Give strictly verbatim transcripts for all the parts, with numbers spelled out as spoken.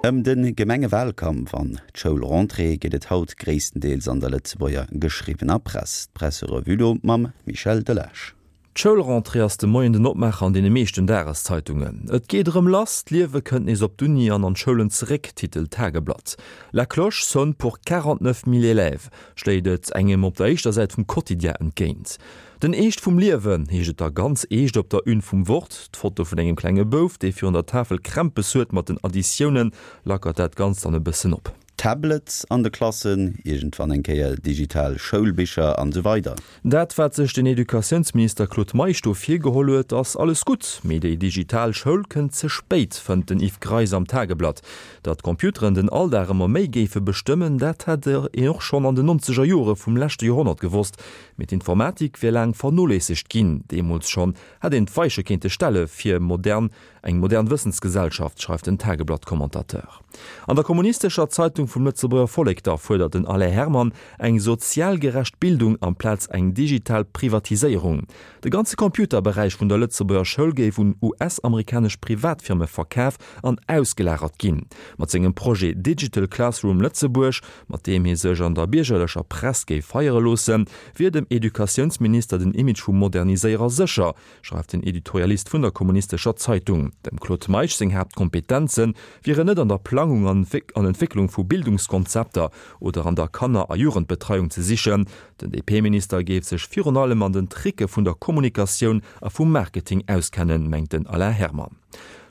Ëm de Gemengewalkampf an d'Schoulrentrée geet et haut gréisstendeels an der Lëtzebuerger geschriwwener Press. D'Presserevue do mam Michel Delage. D'Schoulrentrée ass de Moien den Opmaacher an deene meeschten Dageszeitungen. Et geet erëm lass, d'Liewe kënnt nees op d'Uni an an d'Schoulen zeréck, titelt d'Tageblatt. La cloche sonne pour quarante-neuf mille élèves, schléit et engem op der éischter Säit vum Quotidien entgéint. Den Eescht vum Liewen, heescht et da ganz eescht op der Une vum Wort. D'Foto vun engem klenge Bouf, dee virun der Tafel Krämpes huet mat den Additiounen, lackert dat Ganzt dann e bëssen op. Tablets an de Klassen, iergendwann eng Kéier digital Schoulbicher an esou weider. Dat wat sech den Educatiounsminister Claude Meisch do virgeholl huet, ass alles gutt, mee déi digital Schoul kënnt ze spéit, fënnt den Yves Greis am Tageblatt. Datt d'Computeren den Alldag ëmmer méi géife bestëmmen, dat hätt een och schonn an den nonzeger Jore vum leschte Joerhonnert gewosst, mee d'Informatik wier laang vernoléissegt ginn. Deemools schonn hätt een d'Weiche kéinte stelle fir modern eng modern Wëssensgesellschaft, schreift den Tageblatt-Commentateur. An der Kommunistescher Zeitung vum Lëtzebuerger Vollek da fuerdert den Alain Herman eng sozial gerecht Bildung amplaz eng digital Privatiséierung. De ganze Computerberäich vun der Lëtzebuerger Schoul géif un U S-amerikanesch Privatfirme verkaf an ausgelagert ginn. Mat sengem Projet Digital Classroom Lëtzebuerg, mat deem hie sech an der biergerlecher Press géif feiere loossen, wier dem Educatiounsminister den Image vum Moderniséierer sécher, schreift den Editorialist vun der Kommunistescher Zeitung. Dem Claude Meisch seng Haaptkompetenze wieren net an der Plangung an Entwécklung vu Bildungskonzepter oder an der Kanner a Jugendbetreiung ze sichen. Den D P-Minister géif sech virun allem an den Tricke vun der Kommunikatioun a vum Marketing auskennen, mengt den Alain Herman.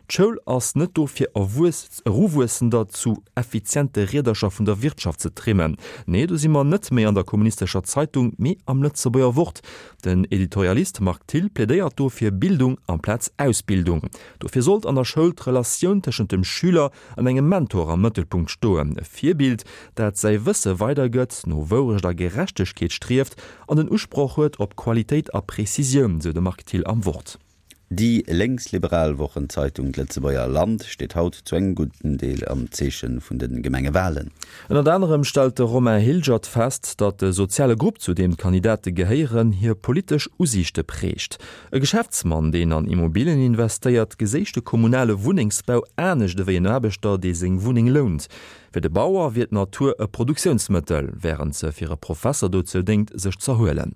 D'Schoul ass net do fir Erwuessender zu effiziente Riedercher vun der Wirtschaft ze trimmen. Nee, do si mer net méi an der Kommunistescher Zeitung, mee am Lëtzebuerger Wort. Den Editorialist Marc Thill plädéiert do fir Bildung amplaz Ausbildung. Dofir sollt an der Schoul d'Relatioun tëschent dem Schüler an engem Mentor am Mëttelpunkt stoen. E Virbild, dat säi Wësse weidergëtt, no Wourecht a Gerechtegkeet strieft an den Usproch huet op Qualitéit a Prezisioun, sou de Marc Thill am Wort. Déi lénksliberal Wochenzeitung D'Lëtzebuerger Land steet haut zu engem gudden Deel am Zeeche vun de Gemengewalen. Ënnert anerem stellt de Romain Hilgert fest, datt de soziale Grupp, zu deem d'Kandidate gehéieren, hir politesch Usiichte prägt. E Geschäftsmann, deen an Immobilien investéiert, geséich de kommunale Wunnengsbau anescht ewéi en Aarbechter, dee seng Wunneng lount. Fir de Bauer wier d'Natur e Produktiounsmëttel, wärend se fir e Professer dozou déngt, sech z'erhuelen.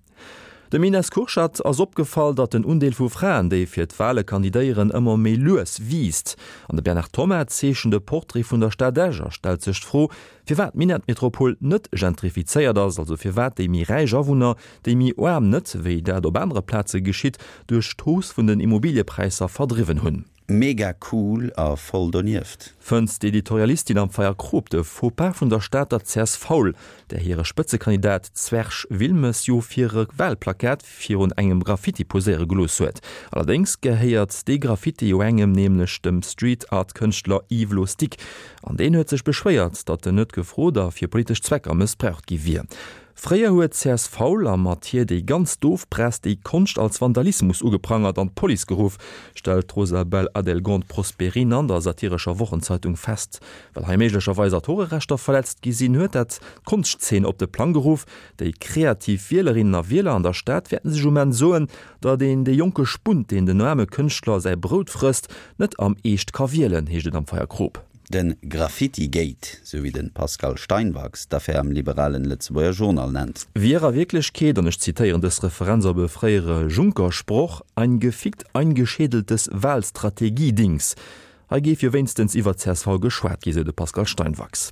Dem Ines Kurschat ass opgefall, datt den Undeel vu Fraen, déi fir d'Wale kandidéieren, ëmmer méi lues wiisst. An de Bernard Thoma zeechent e Portrait vun der Stad Esch a stellt sech d'Fro, firwat d'Minettmetropol net gentrifizéiert ass, also firwat déi méi räich Awunner, déi méi aarm net, wéi dat op anere Plaze geschitt, duerch d'Hausse vun den Immobiliepräisser verdriwwen hunn. Mega cool a voll donieft. Fënnt d'Editorialistin am Feierkrop de Fauxpas vun der Stater C S V, där hire Spëtzekandidat Zwerg Wilmes jo fir e Walplakat virun engem Graffiti poséiere gelooss huet. Allerdéngs gehéiert dee Graffiti jo engem, nämlech dem Street-Art-Kënschtler Yves Lostic. An deen huet sech beschwéiert, datt en net gefrot a fir politesch Zwecker mëssbraucht gi wier. Fréier huet C S V a mat hir déi ganz doof Press déi Konscht als Vandalismus ugeprangert an d'Police geruff, stellt d'Rosabel Adelgond Prosperin an der satirescher Wochenzeitung fest. Well hei méiglecherweis Autorerechter verletzt gi sinn, huet dat d'Konschtzeen op de Plang geruff. Déi kreativ Wielerinnen a Wieler an der Stad wäerten sech um Enn soen, datt een de jonke Spunt, deen den aarme Kënschtler säi Brout frësst, net am Eescht ka wielen, heescht et am Feierkrop. Den Graffiti-Gate, sou wéi den Pascal Steinwachs d'Affär am liberalen Lëtzebuerger Journal nennt. Wier a Wierklechkeet, an ech zitéieren dës Referenz op e fréiere Juncker-Sproch, ein gefickt eingeschädeltes Wahlstrategie-Dings. Hei géif jo wéinstens iwwer C S V geschwat gi, sou de Pascal Steinwachs.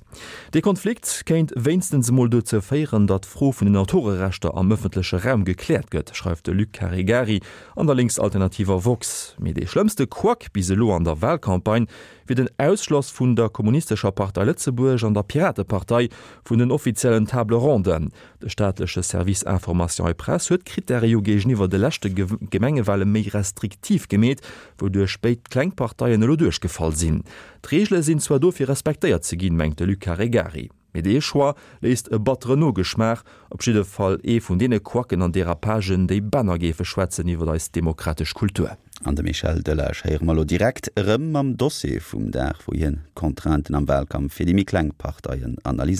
De Konflikt kéint wéinstens emol dozou féieren, datt d'Fro vun den Autorerechter am ëffentleche Raum gekläert gëtt, schreift de Luc Caregari an der linksalternativer Vox. Mee dee schlëmmste Quack bis elo an der Wahlcampagne wier den Ausschloss vun der Kommunistescher Partei Lëtzebuerg an der Piratepartei vun den offiziellen Table Ronden. De staatleche Service Information et Presse huet d'Krittäre jo géigeniwwer de leschte Gemengewale méi restriktiv gemeet, wouduerch béid Klengparteien elo duerchgefall sinn. D'Reegele sinn zwar dofir respektéiert ze ginn, mengt de Luc Caregari. Mee dee Choix léisst e batteren Nogeschmaach, op jidde Fall ee vun deene Quacken an Derapagen, déi Bänner géife schwätzen iwwer eis demokratesch Kultur. An de Michel Delage héiere mer elo direkt erëm am Dossier vum Dag, wou hien d'Contrainten am Wahlkampf fir déi méi kleng Parteien analyséiert.